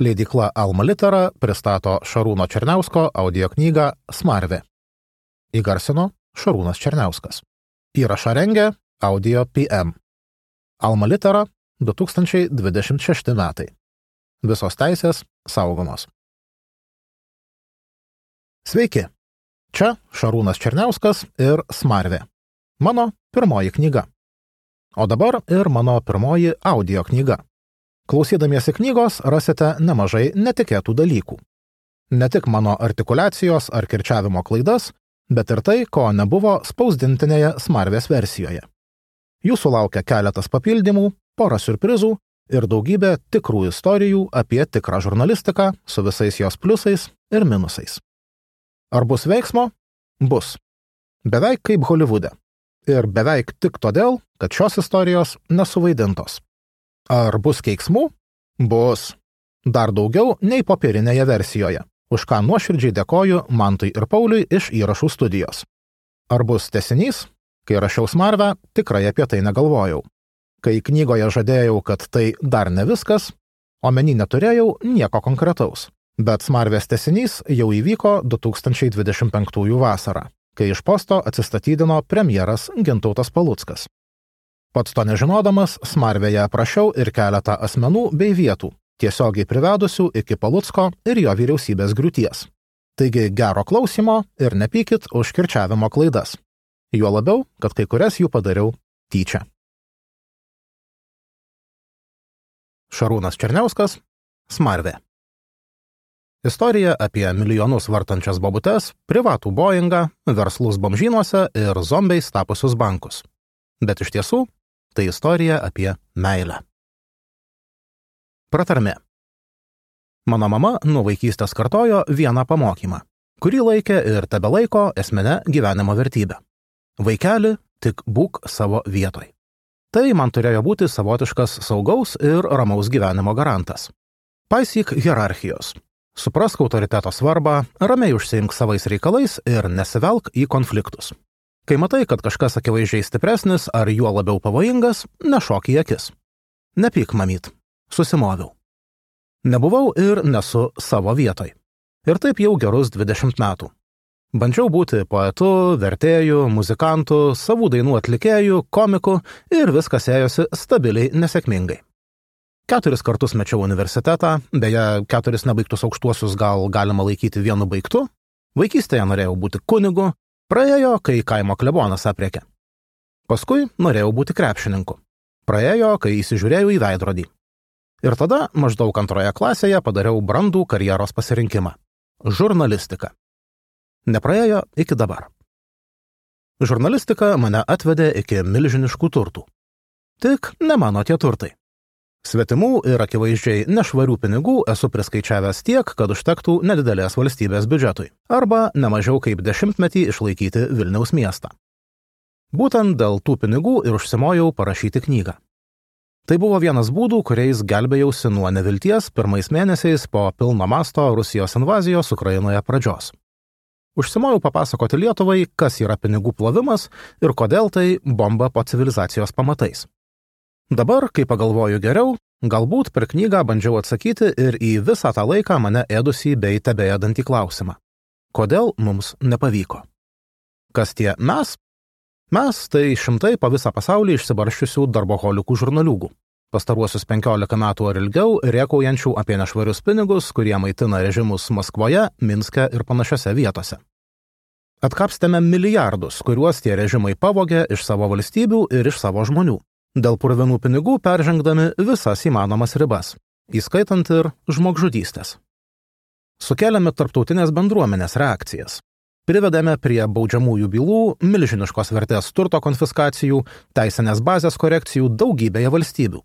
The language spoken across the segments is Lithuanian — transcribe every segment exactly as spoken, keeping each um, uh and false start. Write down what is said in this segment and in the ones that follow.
Leidykla Alma Litera pristato Šarūno Černiausko audioknygą Smarvė. Įgarsino Šarūnas Černiauskas. Įrašą rengė Audio P M. Alma Litera du tūkstančiai dvidešimt šešti metai. Visos teisės saugomos. Sveiki! Čia Šarūnas Černiauskas ir Smarvė. Mano pirmoji knyga. O dabar ir mano pirmoji audio knyga. Klausydamiesi knygos rasite nemažai netikėtų dalykų. Ne tik mano artikuliacijos ar kirčiavimo klaidas, bet ir tai, ko nebuvo spausdintinėje Smarvės versijoje. Jūsų laukia keletas papildymų, pora siurprizų ir daugybė tikrų istorijų apie tikrą žurnalistiką su visais jos pliusais ir minusais. Ar bus veiksmo? Bus. Beveik kaip Holivude. Ir beveik tik todėl, kad šios istorijos nesuvaidintos. Ar bus keiksmų? Bus. Dar daugiau nei popierinėje versijoje, už ką nuoširdžiai dėkoju Mantui ir Pauliui iš įrašų studijos. Ar bus tęsinys? Kai rašiau Smarvę, tikrai apie tai negalvojau. Kai knygoje žadėjau, kad tai dar ne viskas, omeny neturėjau nieko konkretaus. Bet Smarvės tęsinys jau įvyko du tūkstančiai dvidešimt penktųjų vasarą, kai iš posto atsistatydino premjeras Gintautas Paluckas. Pats to nežinodamas, Smarvėje aprašiau ir keletą asmenų bei vietų, tiesiogiai privedusių iki Palucko ir jo vyriausybės griūties. Taigi gero klausimo ir nepykit už kirčiavimo klaidas. Juo labiau, kad kai kurias jų padariau tyčia. Šarūnas Černiauskas, Smarvė. Istorija apie milijonus vartančias bobutes, privatų Boeingą, verslus bomžynuose ir zombiais tapusius bankus. Bet iš tiesų, tai istorija apie meilę. Pratarmė. Mano mama nuo vaikystės kartojo vieną pamokymą, kurį laikė ir tebelaiko esmine gyvenimo vertybė. Vaikeli, tik būk savo vietoj. Tai man turėjo būti savotiškas saugaus ir ramaus gyvenimo garantas. Paisyk hierarchijos. Suprask autoriteto svarbą, ramiai užsiimk savais reikalais ir nesivelk į konfliktus. Kai matai, kad kažkas akivaizdžiai stipresnis ar juo labiau pavojingas, nešok į akis. Nepyk, mamyt. Susimoviau. Nebuvau ir nesu savo vietoj. Ir taip jau gerus dvidešimt metų. Bandžiau būti poetu, vertėju, muzikantu, savų dainų atlikėju, komiku ir viskas ėjosi stabiliai nesėkmingai. Keturis kartus mečiau universitetą, beje, keturis nebaigtus aukštuosius gal galima laikyti vienu baigtu. Vaikystėje norėjau būti kunigu, praėjo, kai kaimo klebonas aprėkė. Paskui norėjau būti krepšininku. Praėjo, kai įsižiūrėjau į veidrodį. Ir tada maždaug antroje klasėje padariau brandų karjeros pasirinkimą – žurnalistika. Nepraėjo iki dabar. Žurnalistika mane atvedė iki milžiniškų turtų. Tik ne mano tie turtai. Svetimų ir akivaizdžiai nešvarių pinigų esu priskaičiavęs tiek, kad užtektų nedidelės valstybės biudžetui, arba nemažiau kaip dešimtmetį išlaikyti Vilniaus miestą. Būtent dėl tų pinigų ir užsimojau parašyti knygą. Tai buvo vienas būdų, kuriais gelbėjausi nuo nevilties pirmais mėnesiais po pilno masto Rusijos invazijos Ukrainoje pradžios. Užsimojau papasakoti Lietuvai, kas yra pinigų plovimas ir kodėl tai bomba po civilizacijos pamatais. Dabar, kai pagalvoju geriau, galbūt per knygą bandžiau atsakyti ir į visą tą laiką mane ėdusį bei tebeėdantį klausimą. Kodėl mums nepavyko? Kas tie mes? Mes tai šimtai po visą pasaulį išsibarščiusių darboholikų žurnaliūgų. Pastaruosius penkiolika metų ar ilgiau rėkaujančių apie nešvarius pinigus, kurie maitina režimus Maskvoje, Minske ir panašiose vietose. Atkapstėme milijardus, kuriuos tie režimai pavogė iš savo valstybių ir iš savo žmonių. Dėl purvinų pinigų peržengdami visas įmanomas ribas, įskaitant ir žmogžudystės. Sukėlėme tarptautinės bendruomenės reakcijas. Privedėme prie baudžiamųjų bylų, milžiniškos vertės turto konfiskacijų, teisinės bazės korekcijų daugybėje valstybių.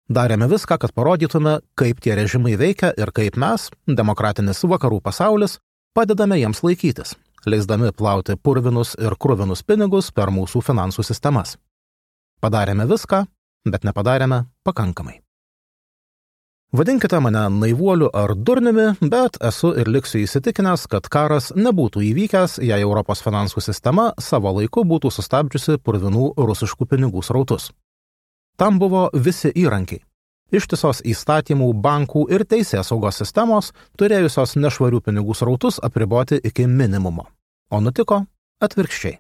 Darėme viską, kad parodytume, kaip tie režimai veikia ir kaip mes, demokratinis vakarų pasaulis, padedame jiems laikytis, leisdami plauti purvinus ir kruvinus pinigus per mūsų finansų sistemas. Padarėme viską, bet nepadarėme pakankamai. Vadinkite mane naivuoliu ar durniumi, bet esu ir liksiu įsitikinęs, kad karas nebūtų įvykęs, jei Europos finansų sistema savo laiku būtų sustabdžiusi purvinų rusiškų pinigų srautus. Tam buvo visi įrankiai. Ištisos įstatymų, bankų ir teisės saugos sistemos turėjusios nešvarių pinigų srautus apriboti iki minimumo. O nutiko atvirkščiai.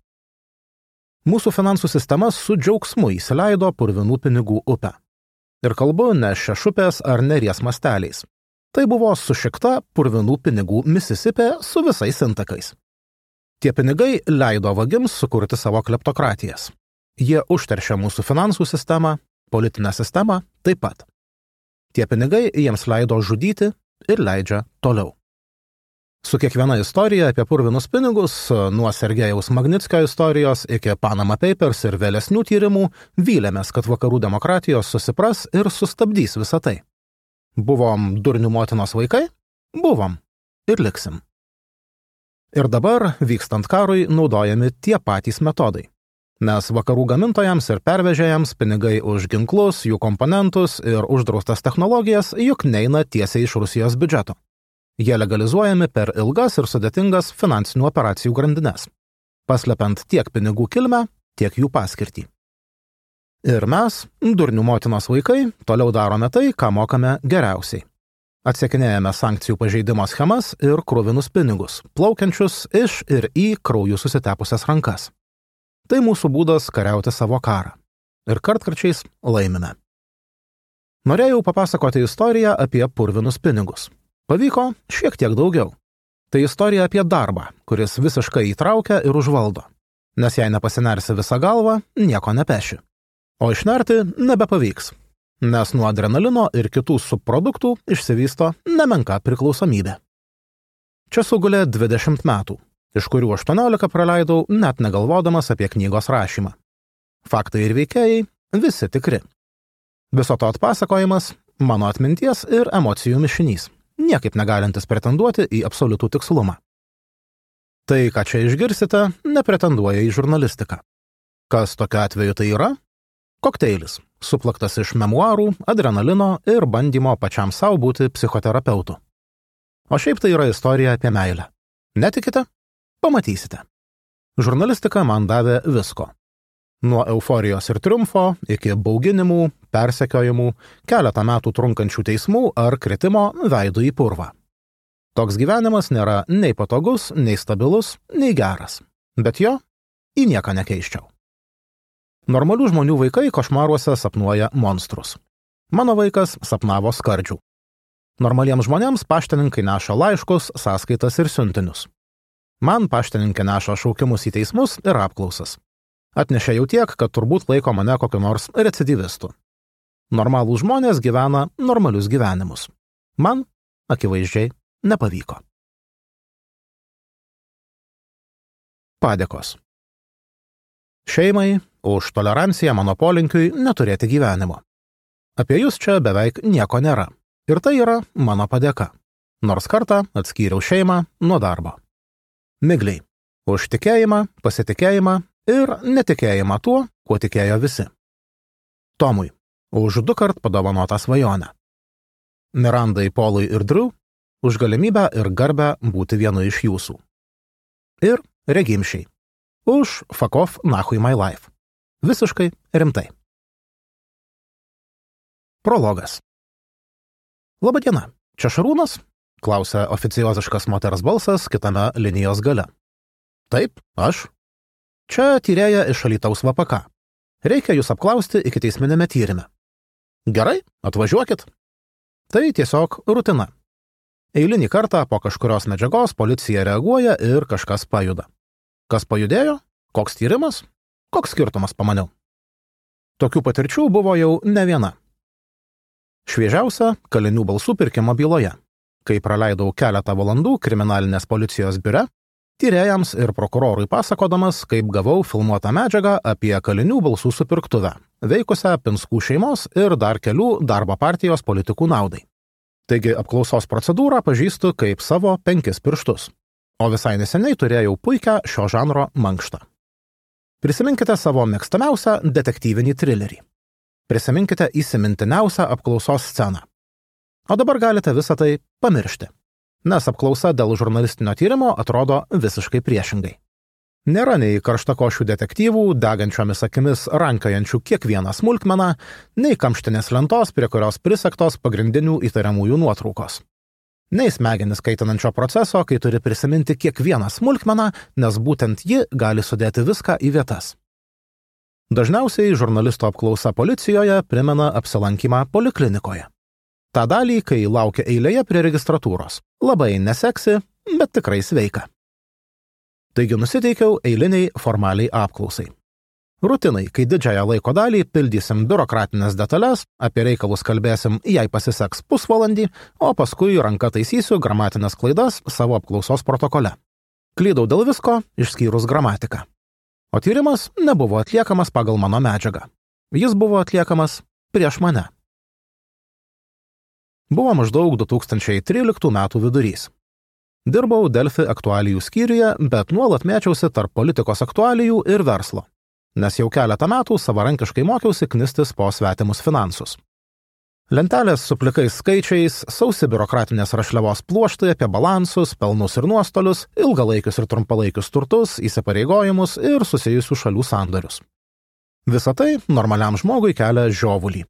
Mūsų finansų sistema su džiaugsmu įsileido purvinų pinigų upę. Ir kalbu ne šešupės ar neries masteliais. Tai buvo sušikta purvinų pinigų Misisipė su visais intakais. Tie pinigai leido vagims sukurti savo kleptokratijas. Jie užteršia mūsų finansų sistemą, politinę sistemą taip pat. Tie pinigai jiems leido žudyti ir leidžia toliau. Su kiekviena istorija apie purvinus pinigus, nuo Sergejaus Magnitskio istorijos iki Panama Papers ir vėlesnių tyrimų, vylėmės, kad vakarų demokratijos susipras ir sustabdys visą tai. Buvom durnių motinos vaikai? Buvom. Ir liksim. Ir dabar, vykstant karui, naudojami tie patys metodai. Nes vakarų gamintojams ir pervežėjams pinigai už ginklus, jų komponentus ir uždraustas technologijas juk neina tiesiai iš Rusijos biudžeto. Jie legalizuojami per ilgas ir sudėtingas finansinių operacijų grandines, paslepiant tiek pinigų kilmę, tiek jų paskirtį. Ir mes, durnių motinos vaikai, toliau darome tai, ką mokame geriausiai. Atsekinėjame sankcijų pažeidimo schemas ir kruvinus pinigus, plaukiančius iš ir į krauju susitepusias rankas. Tai mūsų būdas kariauti savo karą. Ir kartkarčiais laimime. Norėjau papasakoti istoriją apie purvinus pinigus. Pavyko šiek tiek daugiau. Tai istorija apie darbą, kuris visiškai įtraukia ir užvaldo. Nes jei nepasinersi visą galvą, nieko nepeši. O išnerti nebepavyks. Nes nuo adrenalino ir kitų subproduktų išsivysto nemenka priklausomybė. Čia sugulė dvidešimt metų, iš kurių aštuoniolika praleidau net negalvodamas apie knygos rašymą. Faktai ir veikėjai visi tikri. Viso to atpasakojimas – mano atminties ir emocijų mišinys, niekaip negalintis pretenduoti į absoliutų tikslumą. Tai, ką čia išgirsite, nepretenduoja į žurnalistiką. Kas tokiu atveju tai yra? Kokteilis, suplaktas iš memuarų, adrenalino ir bandymo pačiam savo būti psichoterapeutu. O šiaip tai yra istorija apie meilę. Netikite? Pamatysite. Žurnalistika man davė visko. Nuo euforijos ir triumfo iki bauginimų, persekiojimų, keletą metų trunkančių teismų ar kritimo veidu į purvą. Toks gyvenimas nėra nei patogus, nei stabilus, nei geras. Bet jo į nieką nekeiščiau. Normalių žmonių vaikai košmaruose sapnuoja monstrus. Mano vaikas sapnavo skardžių. Normaliems žmonėms paštininkai neša laiškus, sąskaitas ir siuntinius. Man paštininkė neša šaukimus į teismus ir apklausas. Atnešė jau tiek, kad turbūt laiko mane kokiu nors recidyvistu. Normalūs žmonės gyvena normalius gyvenimus. Man, akivaizdžiai, nepavyko. Padėkos. Šeimai už toleranciją mano polinkiui neturėti gyvenimo. Apie jūs čia beveik nieko nėra. Ir tai yra mano padėka. Nors kartą atskyriau šeimą nuo darbo. Migliai. Už tikėjimą, pasitikėjimą ir netikėjimą tuo, kuo tikėjo visi. Tomui. Už du kart padovanotą svajonę. Mirandai, Polui ir Drew. Už galimybę ir garbę būti vienu iš jūsų. Ir Regimšiai. Už fuck off nachui my life. Visiškai rimtai. Prologas. Labadiena, čia Šarūnas? Klausia oficioziškas moters balsas kitame linijos gale. Taip, aš. Čia tyrėja iš Alytaus V P K. Reikia jūs apklausti ikiteisminėme tyrime. Gerai, atvažiuokit. Tai tiesiog rutina. Eilinį kartą po kažkurios medžiagos policija reaguoja ir kažkas pajuda. Kas pajudėjo? Koks tyrimas? Koks skirtumas, pamaniau. Tokių patirčių buvo jau ne viena. Šviežiausia kalinių balsų pirkimo byloje, kai praleidau keletą valandų kriminalinės policijos biure, tyrėjams ir prokurorui pasakodamas, kaip gavau filmuotą medžiagą apie kalinių balsų supirktuvę, veikusią Pinskų šeimos ir dar kelių darbo partijos politikų naudai. Taigi apklausos procedūrą pažįstu kaip savo penkis pirštus. O visai neseniai turėjau puikią šio žanro mankštą. Prisiminkite savo mėgstamiausią detektyvinį trilerį. Prisiminkite įsimintiniausią apklausos sceną. O dabar galite visą tai pamiršti, nes apklausa dėl žurnalistinio tyrimo atrodo visiškai priešingai. Nėra nei karštakošių detektyvų, degančiomis akimis rankiojančių kiekvieną smulkmeną, nei kamštinės lentos, prie kurios prisegtos pagrindinių įtariamųjų nuotraukos. Nei smegenis kaitinančio proceso, kai turi prisiminti kiekvieną smulkmeną, nes būtent ji gali sudėti viską į vietas. Dažniausiai žurnalisto apklausa policijoje primena apsilankymą poliklinikoje. Ta dalį, kai laukia eilėje prie registratūros. Labai neseksi, bet tikrai sveika. Taigi nusiteikiau eiliniai formaliai apklausai. Rutinai, kai didžiąją laiko dalį pildysim biurokratinės detalės, apie reikalus kalbėsim, jei pasiseks pusvalandį, o paskui ranka taisysiu gramatinės klaidas savo apklausos protokole. Klydau dėl visko, išskyrus gramatiką. O tyrimas nebuvo atliekamas pagal mano medžiagą. Jis buvo atliekamas prieš mane. Buvo maždaug du tūkstančiai tryliktų metų vidurys. Dirbau Delfi aktualijų skyriuje, bet nuolat mėčiausi tarp politikos aktualijų ir verslo, nes jau keletą metų savarankiškai mokiausi knistis po svetimus finansus. Lentelės su plikais skaičiais, sausi biurokratinės rašliavos pluoštai apie balansus, pelnus ir nuostolius, ilgalaikius ir trumpalaikius turtus, įsipareigojimus ir susijusių šalių sandorius. Visa tai normaliam žmogui kelia žiovulį.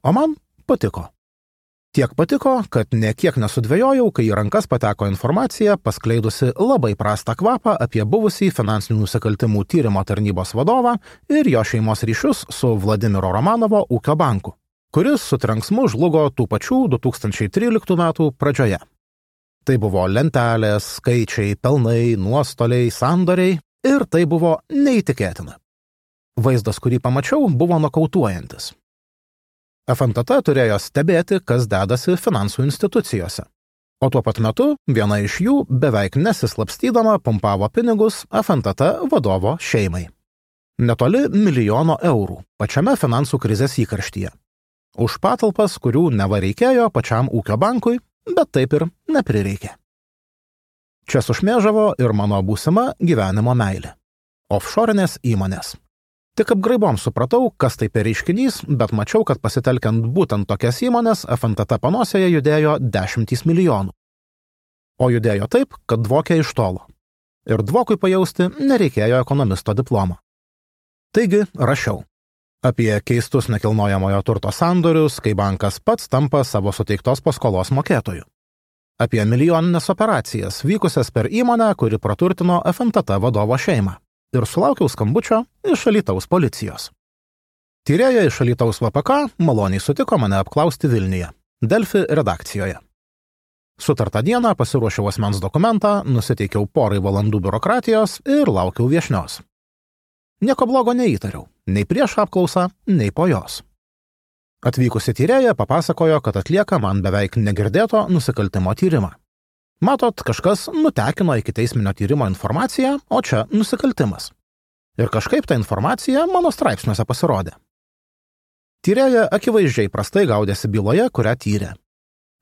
O man patiko. Tiek patiko, kad nekiek nesudvejojau, kai į rankas pateko informacija, paskleidusi labai prastą kvapą apie buvusį finansinių nusikaltimų tyrimo tarnybos vadovą ir jo šeimos ryšius su Vladimiro Romanovo ūkio banku, kuris su trenksmu žlugo tų pačių du tūkstančiai tryliktų metų pradžioje. Tai buvo lentelės, skaičiai, pelnai, nuostoliai, sandoriai ir tai buvo neįtikėtina. Vaizdas, kurį pamačiau, buvo nokautuojantis. F N T T turėjo stebėti, kas dedasi finansų institucijose. O tuo pat metu viena iš jų beveik nesislapstydama pumpavo pinigus F N T T vadovo šeimai. Netoli milijono eurų pačiame finansų krizės įkarštyje. Už patalpas, kurių neva reikėjo pačiam ūkio bankui, bet taip ir neprireikė. Čia sušmėžavo ir mano būsima gyvenimo meilė. Offshorinės įmonės. Tik apgraibom supratau, kas tai per reiškinys, bet mačiau, kad pasitelkiant būtent tokias įmonės F N T T panosėje judėjo dešimtys milijonų. O judėjo taip, kad dvokė iš tolo. Ir dvokui pajausti nereikėjo ekonomisto diplomo. Taigi rašiau apie keistus nekilnojamojo turto sandorius, kai bankas pats tampa savo suteiktos paskolos mokėtoju. Apie milijoninės operacijas vykusias per įmonę, kuri praturtino F N T T vadovo šeimą. Ir sulaukiau skambučio iš Alytaus policijos. Tyrėja iš Alytaus V P K maloniai sutiko mane apklausti Vilniuje, Delfi redakcijoje. Sutartą dieną pasiruošiau asmens dokumentą, nusiteikiau porai valandų biurokratijos ir laukiau viešnios. Nieko blogo neįtariau, nei prieš apklausą, nei po jos. Atvykusi tyrėja papasakojo, kad atlieka man beveik negirdėto nusikaltimo tyrimą. Matot, kažkas nutekino iki teisminio tyrimo informaciją, o čia nusikaltimas. Ir kažkaip ta informacija mano straipsniuose pasirodė. Tyrėja akivaizdžiai prastai gaudėsi byloje, kurią tyrė.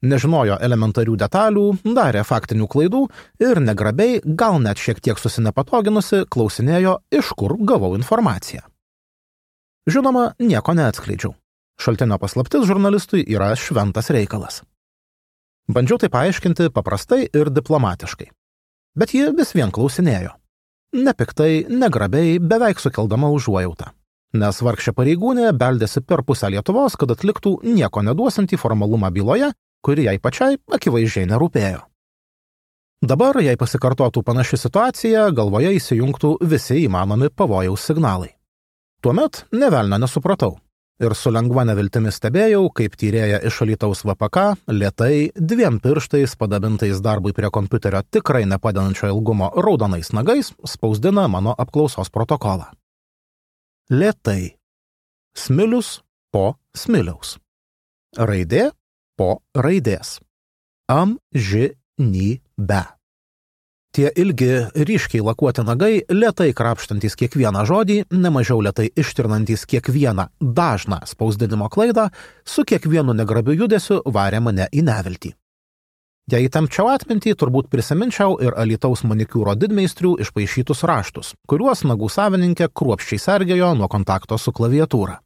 Nežinojo elementarių detalių, darė faktinių klaidų ir negrabiai, gal net šiek tiek susinepatoginusi, klausinėjo, iš kur gavau informaciją. Žinoma, nieko neatskleidžiau. Šaltinio paslaptis žurnalistui yra šventas reikalas. Bandžiau tai paaiškinti paprastai ir diplomatiškai. Bet ji vis vien klausinėjo. Nepiktai, negrabiai, beveik sukeldama užuojautą. Nes vargšė pareigūnė beldėsi per pusę Lietuvos, kad atliktų nieko neduosiantį formalumą byloje, kuri jai pačiai akivaizdžiai nerūpėjo. Dabar, jei pasikartotų panaši situacija, galvoje įsijungtų visi įmanomi pavojaus signalai. Tuomet nė velnio nesupratau. Ir su lengva neviltimi stebėjau, kaip tyrėja iš Alytaus V P K lėtai, dviem pirštais padabintais darbui prie kompiuterio tikrai nepadedančio ilgumo raudonais nagais spausdina mano apklausos protokolą. Lėtai. Smilius po smiliaus. Raidė po raidės. Amžinybė. Tie ilgi, ryškiai lakuoti nagai, lėtai krapštantis kiekvieną žodį, nemažiau lėtai ištirnantis kiekvieną dažną spausdinimo klaidą, su kiekvienu negrabiu judesiu varė mane į neviltį. Jei įtempčiau atmintį, turbūt prisiminčiau ir Alytaus manikiūro didmeistrių išpaišytus raštus, kuriuos nagų savininkė kruopščiai sergėjo nuo kontakto su klaviatūra.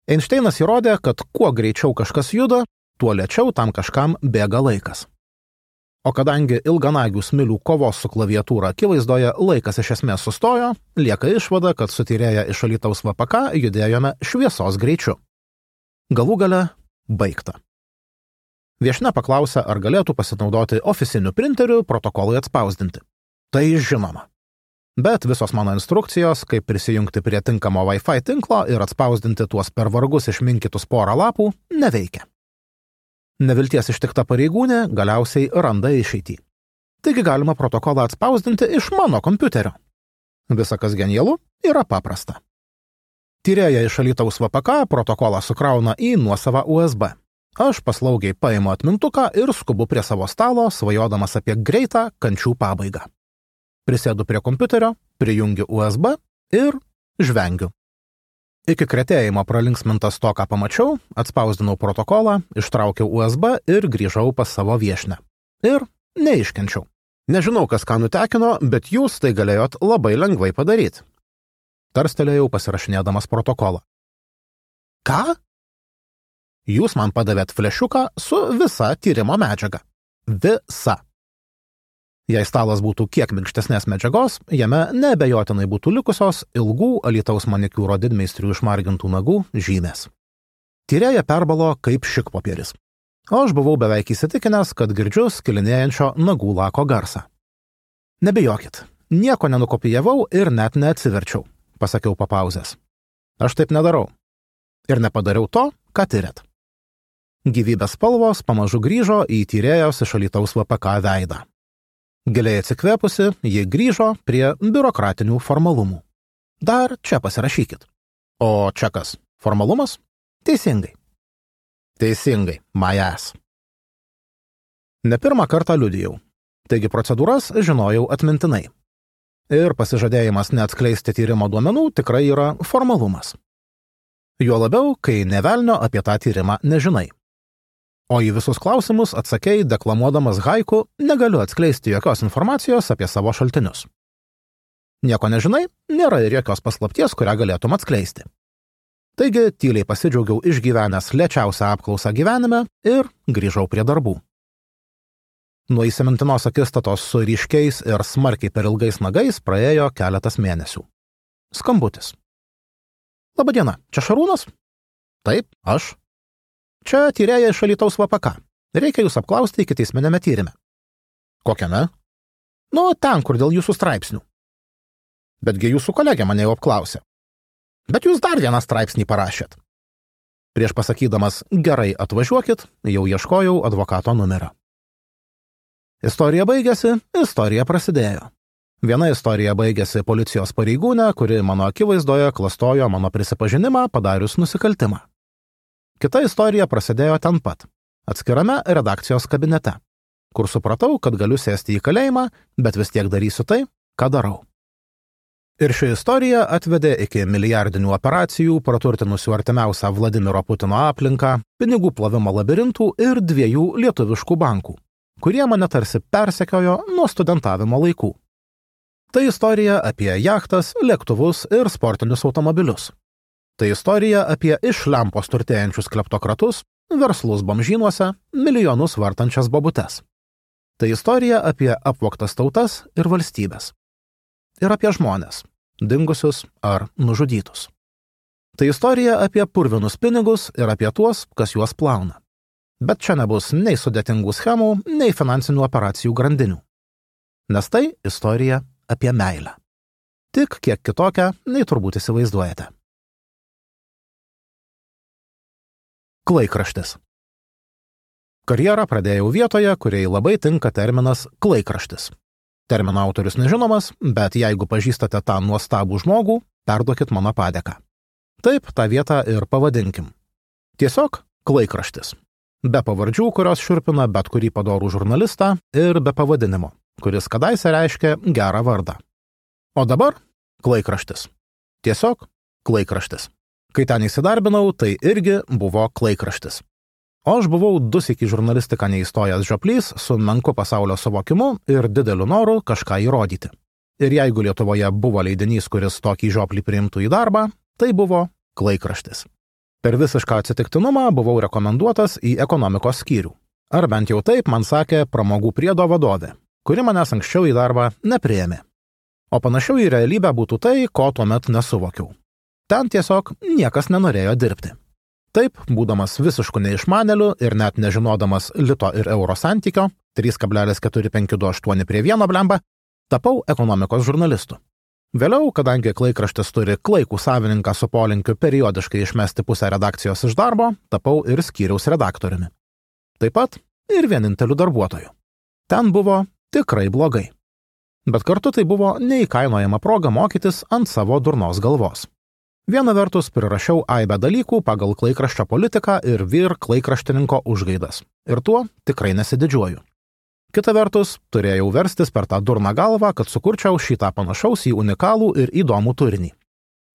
Einšteinas įrodė, kad kuo greičiau kažkas juda, tuo lėčiau tam kažkam bėga laikas. O kadangi ilganagių smilių kovos su klaviatūra akivaizdoje laikas iš esmės sustojo, lieka išvada, kad su tyrėja iš Alytaus V P K judėjome šviesos greičiu. Galų gale baigta. Viešnia paklausė, ar galėtų pasinaudoti oficiniu printeriu protokolui atspausdinti. Tai žinoma. Bet visos mano instrukcijos, kaip prisijungti prie tinkamo Wi-Fi tinklo ir atspausdinti tuos per vargus išminkytus porą lapų, neveikia. Nevilties ištikta pareigūnė galiausiai randa išeitį. Taigi galima protokolą atspausdinti iš mano kompiuterio. Visa kas genialu yra paprasta. Tyrėja iš Alytaus V P K protokolą sukrauna į nuosavą U S B. Aš paslaugiai paimu atmintuką ir skubu prie savo stalo, svajodamas apie greitą kančių pabaigą. Prisėdu prie kompiuterio, prijungiu U S B ir žvengiu. Iki kretėjimo pralinksmintas to, ką pamačiau, atspausdinau protokolą, ištraukiau U S B ir grįžau pas savo viešnią. Ir neiškenčiau. Nežinau, kas ką nutekino, bet jūs tai galėjot labai lengvai padaryti. Tarstelėjau pasirašinėdamas protokolą. Ką? Jūs man padavėt flešiuką su visa tyrimo medžiaga. Visa. Jei stalas būtų kiek minkštesnės medžiagos, jame neabejotinai būtų likusios ilgų Alytaus manikiūro didmeistrių išmargintų nagų žymės. Tyrėja perbalo kaip šikpopieris. O aš buvau beveik įsitikinęs, kad girdžiu skilinėjančio nagų lako garsą. Nebijokit, nieko nenukopijavau ir net neatsiverčiau, pasakiau po pauzės. Aš taip nedarau. Ir nepadariau to, ką tyrėt. Gyvybės spalvos pamažu grįžo į tyrėjos iš Alytaus V P K veidą. Giliai atsikvėpusi, ji grįžo prie biurokratinių formalumų. Dar čia pasirašykit. O čia kas? Formalumas? Teisingai. Teisingai, my ass. Ne pirmą kartą liudijau. Taigi procedūras žinojau atmintinai. Ir pasižadėjimas neatskleisti tyrimo duomenų tikrai yra formalumas. Juo labiau, kai nė velnio apie tą tyrimą nežinai. O į visus klausimus atsakei, deklamuodamas haiku, negaliu atskleisti jokios informacijos apie savo šaltinius. Nieko nežinai, nėra ir jokios paslapties, kurią galėtum atskleisti. Taigi, tyliai pasidžiaugiau išgyvenęs lėčiausią apklausą gyvenime ir grįžau prie darbų. Nuo įsimintinos akistatos su ryškiais ir smarkiai per ilgais nagais praėjo keletas mėnesių. Skambutis. Labadiena, čia Šarūnas? Taip, aš. Čia tyrėja iš Alytaus V P K. Reikia jūs apklausti ikiteisminiame tyrime. Kokiame? Nu, ten, kur dėl jūsų straipsnių. Betgi jūsų kolegė mane jau apklausė. Bet jūs dar vieną straipsnį parašėt. Prieš pasakydamas gerai atvažiuokit, jau ieškojau advokato numerio. Istorija baigėsi, istorija prasidėjo. Viena istorija baigėsi policijos pareigūnė, kuri mano akivaizdoje klastojo mano prisipažinimą padarius nusikaltimą. Kita istorija prasidėjo ten pat, atskirame redakcijos kabinete, kur supratau, kad galiu sėsti į kalėjimą, bet vis tiek darysiu tai, ką darau. Ir ši istorija atvedė iki milijardinių operacijų, praturtinusių artimiausią Vladimiro Putino aplinką, pinigų plovimo labirintų ir dviejų lietuviškų bankų, kurie mane tarsi persekiojo nuo studentavimo laikų. Tai istorija apie jachtas, lėktuvus ir sportinius automobilius. Tai istorija apie iš lempos turtėjančius kleptokratus, verslus bomžynuose, milijonus vartančias bobutes. Tai istorija apie apvogtas tautas ir valstybės. Ir apie žmonės, dingusius ar nužudytus. Tai istorija apie purvinus pinigus ir apie tuos, kas juos plauna. Bet čia nebus nei sudėtingų schemų, nei finansinių operacijų grandinių. Nes tai istorija apie meilę. Tik kiek kitokią, nei turbūt įsivaizduojate. Klaikraštis. Karjerą pradėjau vietoje, kuriai labai tinka terminas klaikraštis. Termino autorius nežinomas, bet jeigu pažįstate tą nuostabų žmogų, perduokit mano padėką. Taip, tą vietą ir pavadinkim. Tiesiog klaikraštis. Be pavardžių, kurios šiurpina bet kurį padorų žurnalistą, ir be pavadinimo, kuris kadaise reiškia gerą vardą. O dabar klaikraštis. Tiesiog klaikraštis. Kai ten įsidarbinau, tai irgi buvo klaikraštis. O aš buvau du syk į žurnalistiką neįstojęs žioplys su menku pasaulio suvokimu ir dideliu noru kažką įrodyti. Ir jeigu Lietuvoje buvo leidinys, kuris tokį žioplį priimtų į darbą, tai buvo klaikraštis. Per visišką atsitiktinumą buvau rekomenduotas į ekonomikos skyrių. Ar bent jau taip man sakė pramogų priedo vadovė, kuri manęs anksčiau į darbą nepriėmė. O panašiau į realybę būtų tai, ko tuomet nesuvokiau. Ten tiesiog niekas nenorėjo dirbti. Taip, būdamas visišku neišmaneliu ir net nežinodamas lito ir euro santykio, trys kablelis keturi penki du aštuoni prie vieno blemba, tapau ekonomikos žurnalistu. Vėliau, kadangi klaikraštis turi klaikų savininką su polinkiu periodiškai išmesti pusę redakcijos iš darbo, tapau ir skyriaus redaktoriumi. Taip pat ir vieninteliu darbuotoju. Ten buvo tikrai blogai. Bet kartu tai buvo neįkainojama proga mokytis ant savo durnos galvos. Viena vertus prirašiau aibę dalykų pagal klaikraščio politiką ir vyr klaikraštininko užgaidas. Ir tuo tikrai nesididžiuoju. Kita vertus, turėjau verstis per tą durną galvą, kad sukurčiau šitą panašaus į unikalų ir įdomų turinį.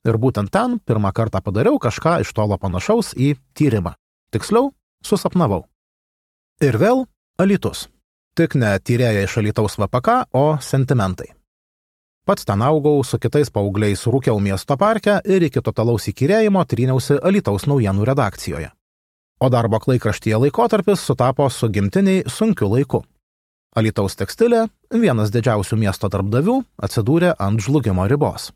Ir būtent ten pirmą kartą padariau kažką iš tolo panašaus į tyrimą. Tiksliau, susapnavau. Ir vėl Alytus. Tik ne tyrėja iš Alytaus V P K, o sentimentai. Pats ten augau, su kitais paaugliais rūkiau miesto parke ir iki totalaus įkyrėjimo tryniausi Alytaus naujienų redakcijoje. O darbo klaikraštyje laikotarpis sutapo su gimtiniai sunkiu laiku. Alytaus tekstilė, vienas didžiausių miesto darbdavių, atsidūrė ant žlugimo ribos.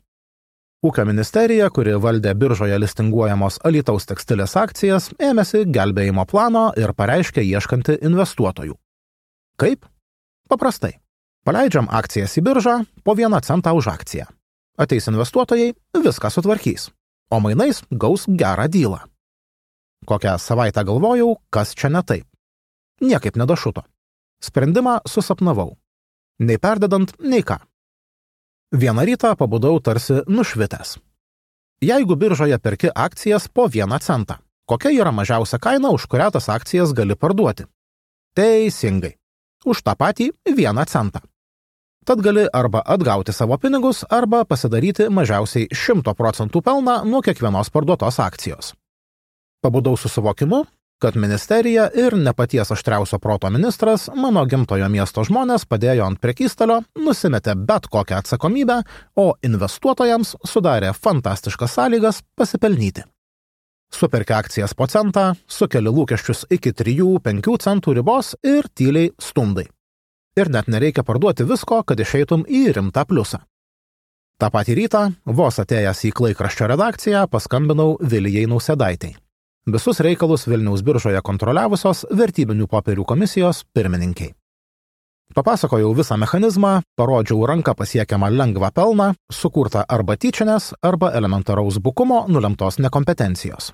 Ūkio ministerija, kuri valdė biržoje listinguojamos Alytaus tekstilės akcijas, ėmėsi gelbėjimo plano ir pareiškė ieškanti investuotojų. Kaip? Paprastai. Paleidžiam akcijas į biržą po vieną centą už akciją. Ateis investuotojai, viską sutvarkys, o mainais gaus gerą dylą. Kokią savaitę galvojau, kas čia ne taip. Niekaip nedašuto. Sprendimą susapnavau. Nei perdedant, nei ką. Vieną rytą pabudau tarsi nušvitęs. Jeigu biržoje perki akcijas po vieną centą, kokia yra mažiausia kaina, už kurią tas akcijas gali parduoti? Teisingai. Už tą patį vieną centą. Tad gali arba atgauti savo pinigus, arba pasidaryti mažiausiai šimto procentų pelną nuo kiekvienos parduotos akcijos. Pabudau su suvokimu, kad ministerija ir ne paties aštriausio proto ministras mano gimtojo miesto žmonės padėjo ant prekystalio, nusimetė bet kokią atsakomybę, o investuotojams sudarė fantastiškas sąlygas pasipelnyti. Superki akcijas po centą, sukeli lūkesčius iki trijų penkių centų ribos ir tyliai stumdai. Ir net nereikia parduoti visko, kad išeitum į rimtą pliusą. Ta patį rytą, vos atėjęs į klaikraščio redakciją, paskambinau Vilijai Nausėdaitei. Visus reikalus Vilniaus biržoje kontroliavusios vertybinių popierių komisijos pirmininkiai. Papasakojau visą mechanizmą, parodžiau ranką pasiekiamą lengvą pelną, sukurtą arba tyčinės, arba elementaraus bukumo nulemtos nekompetencijos.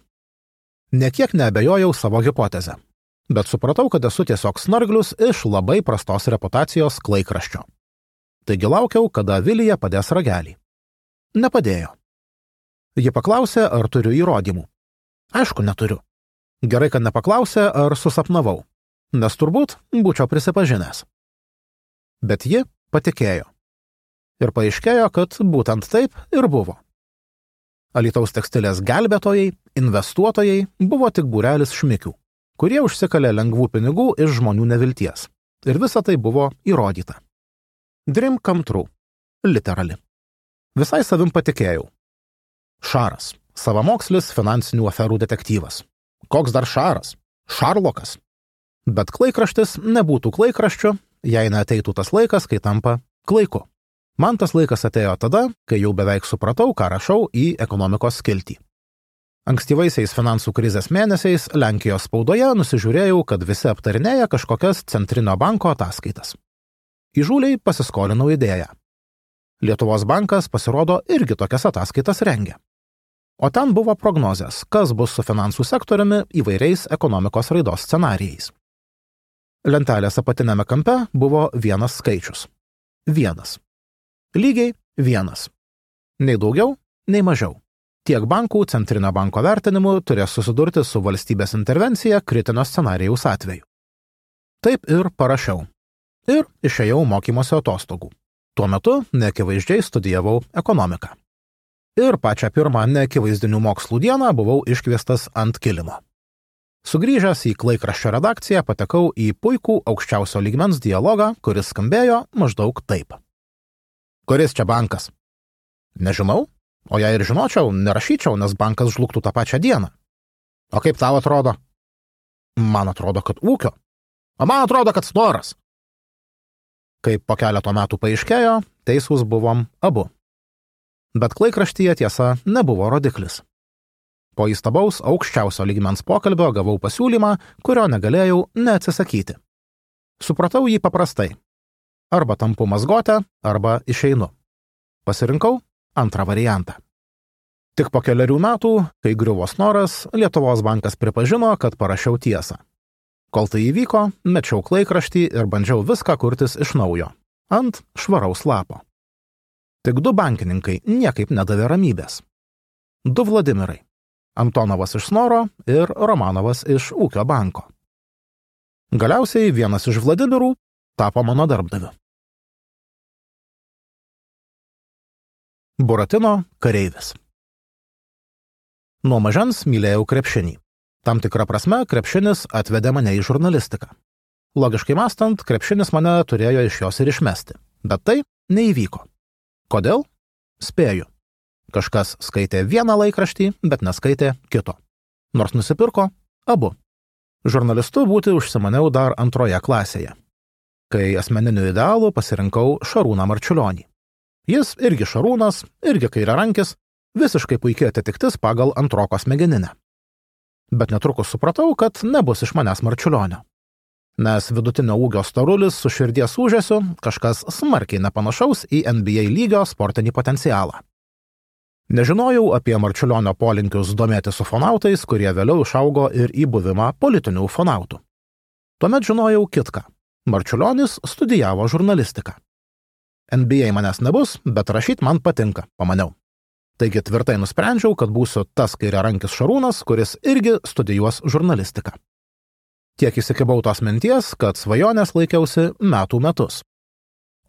Nekiek neabejojau savo hipotezę, bet supratau, kad esu tiesiog snarglius iš labai prastos reputacijos klaikraščio. Taigi laukiau, kada Vilija padės ragelį. Nepadėjo. Ji paklausė, ar turiu įrodymų. Aišku, neturiu. Gerai, kad nepaklausė, ar susapnavau, nes turbūt būčiau prisipažinęs. Bet ji patikėjo. Ir paaiškėjo, kad būtent taip ir buvo. Alytaus tekstilės gelbėtojai, investuotojai buvo tik būrelis šmikių, kurie užsikalė lengvų pinigų iš žmonių nevilties. Ir visa tai buvo įrodyta. Dream come true. Literally. Visai savim patikėjau. Šaras. Savamokslis finansinių aferų detektyvas. Koks dar Šaras? Šarlokas. Bet klaikraštis nebūtų klaikraščiu, jei neateitų tas laikas, kai tampa klaiku. Man tas laikas atėjo tada, kai jau beveik supratau, ką rašau į ekonomikos skiltį. Ankstyvaisiais finansų krizės mėnesiais Lenkijos spaudoje nusižiūrėjau, kad visi aptarinėja kažkokias centrinio banko ataskaitas. Įžūliai pasiskolinau idėją. Lietuvos bankas pasirodo irgi tokias ataskaitas rengia. O ten buvo prognozės, kas bus su finansų sektoriumi įvairiais ekonomikos raidos scenarijais. Lentelės apatinėme kampe buvo vienas skaičius. Vienas. Lygiai vienas. Nei daugiau, nei mažiau. Tiek bankų centrinio banko vertinimu turės susidurti su valstybės intervencija kritinio scenarijaus atveju. Taip ir parašiau. Ir išėjau mokymosi atostogų. Tuo metu neakivaizdžiai studijavau ekonomiką. Ir pačią pirmą neakivaizdinių mokslų dieną buvau iškviestas ant kilimo. Sugrįžęs į klaikraščio redakciją patekau į puikų aukščiausio lygmens dialogą, kuris skambėjo maždaug taip. Kuris čia bankas? Nežinau, o jei ir žinočiau, nerašyčiau, nes bankas žlugtų tą pačią dieną. O kaip tau atrodo? Man atrodo, kad ūkio. O man atrodo, kad snoras. Kaip po keleto metų paaiškėjo, teisūs buvom abu. Bet klaikraštyje tiesa nebuvo rodiklis. Po įstabaus aukščiausio lygmens pokalbio gavau pasiūlymą, kurio negalėjau neatsisakyti. Supratau jį paprastai. Arba tampu mazgotę, arba išeinu. Pasirinkau antrą variantą. Tik po keliarių metų, kai griuvo snoras, Lietuvos bankas pripažino, kad parašiau tiesą. Kol tai įvyko, mečiau klaikraštį ir bandžiau viską kurtis iš naujo, ant švaraus lapo. Tik du bankininkai niekaip nedavė ramybės. Du Vladimirai. Antonovas iš Snoro ir Romanovas iš Ūkio banko. Galiausiai vienas iš Vladimirų tapo mano darbdaviu. Buratino kareivis. Nuo mažens mylėjau krepšinį. Tam tikrą prasme krepšinis atvedė mane į žurnalistiką. Logiškai mąstant, krepšinis mane turėjo iš jos ir išmesti. Bet tai neįvyko. Kodėl? Spėju. Kažkas skaitė vieną laikraštį, bet neskaitė kito. Nors nusipirko abu. Žurnalistu būti užsimaniau dar antroje klasėje, kai asmeniniu idealu pasirinkau Šarūną Marčiulionį. Jis irgi Šarūnas, irgi kairiarankis, visiškai puikiai atitiktis pagal antroko smegeninę. Bet netrukus supratau, kad nebus iš manęs Marčiulionio. Nes vidutinio ūgio storulis su širdies ūžesiu kažkas smarkiai nepanašaus į N B A lygio sportinį potencialą. Nežinojau apie Marčiulionio polinkius domėtis ufonautais, kurie vėliau išaugo ir į buvimą politinių ufonautų. Tuomet žinojau kitką. Marčiulionis studijavo žurnalistiką. N B A manęs nebus, bet rašyt man patinka, pamaniau. Taigi tvirtai nusprendžiau, kad būsiu tas kairiarankis Šarūnas, kuris irgi studijuos žurnalistiką. Tiek įsikibau tos minties, kad svajonės laikiausi metų metus.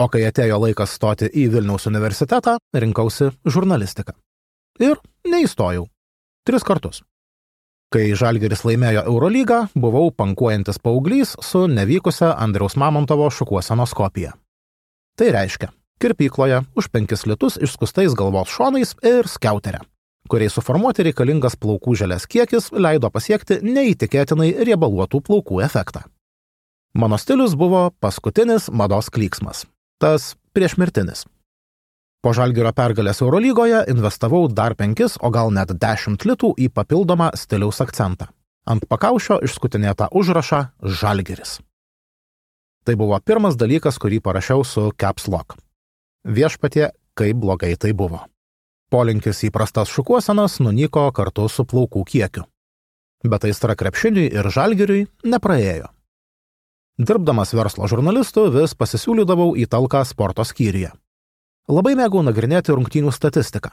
O kai atėjo laikas stoti į Vilniaus universitetą, rinkausi žurnalistiką. Ir neįstojau. Tris kartus. Kai Žalgiris laimėjo Eurolygą, buvau pankuojantis paauglys su nevykusia Andriaus Mamontovo šukuosenos kopija. Tai reiškia, kirpykloje už penkis litus išskustais galvos šonais ir skiauterę, kuriai suformuoti reikalingas plaukų želės kiekis leido pasiekti neįtikėtinai riebaluotų plaukų efektą. Mano stilius buvo paskutinis mados klyksmas, tas priešmirtinis. Po Žalgirio pergalės Eurolygoje investavau dar penkis, o gal net dešimt litų į papildomą stiliaus akcentą. Ant pakaušio išskutinėtą užrašą Žalgiris. Tai buvo pirmas dalykas, kurį parašiau su caps lock. Viešpatie, kaip blogai tai buvo. Polinkis į prastas šukuosenas nunyko kartu su plaukų kiekiu. Bet aistra krepšiniui ir Žalgiriui nepraėjo. Dirbdamas verslo žurnalistu vis pasisiūlydavau į talką sporto skyriuje. Labai mėgau nagrinėti rungtynių statistiką.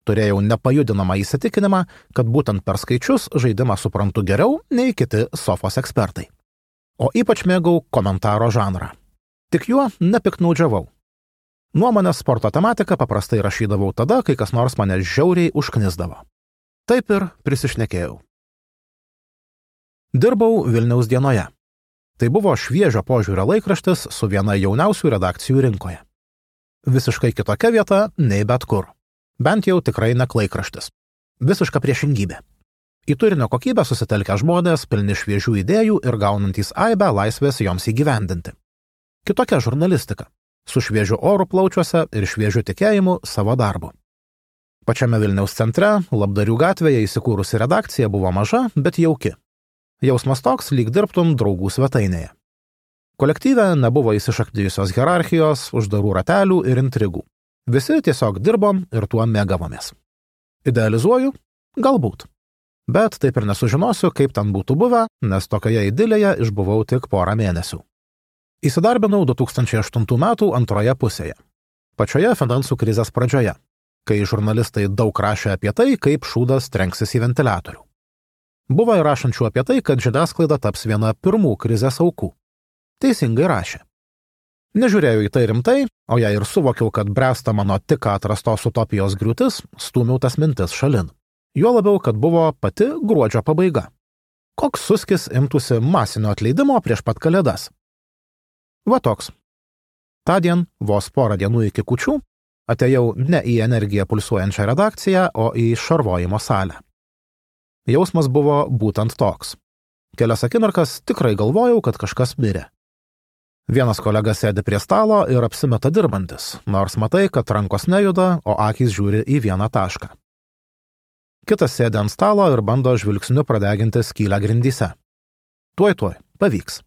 Turėjau nepajudinamą įsitikinimą, kad būtent per skaičius žaidimą suprantu geriau nei kiti sofos ekspertai. O ypač mėgau komentaro žanrą. Tik juo nepiknaudžiavau. Nuomonės sporto tematiką paprastai rašydavau tada, kai kas nors mane žiauriai užknisdavo. Taip ir prisišnekėjau. Dirbau Vilniaus dienoje. Tai buvo šviežio požiūrio laikraštis su viena jauniausių redakcijų rinkoje. Visiškai kitokia vieta nei bet kur. Bent jau tikrai ne laikraštis. Visiška priešingybė. Į turinio kokybę susitelkę žmonės, pilni šviežių idėjų ir gaunantys aibę laisvės joms įgyvendinti. Kitokia žurnalistika. Su šviežiu oru plaučiuose ir šviežiu tikėjimu savo darbu. Pačiame Vilniaus centre, Labdarių gatvėje įsikūrusi redakcija buvo maža, bet jauki. Jausmas toks, lyg dirbtum draugų svetainėje. Kolektyve nebuvo įsišaknijusios hierarchijos, uždarų ratelių ir intrigų. Visi tiesiog dirbom ir tuo mėgavomės. Idealizuoju? Galbūt. Bet taip ir nesužinosiu, kaip ten būtų buvę, nes tokioje idilėje išbuvau tik porą mėnesių. Įsidarbinau du tūkstančiai aštuntų metų antroje pusėje. Pačioje finansų krizės pradžioje, kai žurnalistai daug rašė apie tai, kaip šūdas trenksis į ventiliatorių. Buvo ir rašančių apie tai, kad žiniasklaida taps viena pirmų krizės aukų. Teisingai rašė. Nežiūrėjau į tai rimtai, o jei ir suvokiau, kad bręsta mano tik atrastos utopijos griūtis, stūmiau tas mintis šalin. Juo labiau, kad buvo pati gruodžio pabaiga. Koks suskis imtųsi masinio atleidimo prieš pat kalėdas? Va toks. Tądien, vos porą dienų iki kūčių, atėjau ne į energiją pulsuojančią redakciją, o į šarvojimo salę. Jausmas buvo būtent toks. Kelias akimirkas tikrai galvojau, kad kažkas mirė. Vienas kolega sėdi prie stalo ir apsimeta dirbantis, nors matai, kad rankos nejuda, o akys žiūri į vieną tašką. Kitas sėdi ant stalo ir bando žvilgsniu pradeginti skylę grindyse. Tuoj tuoj, pavyks.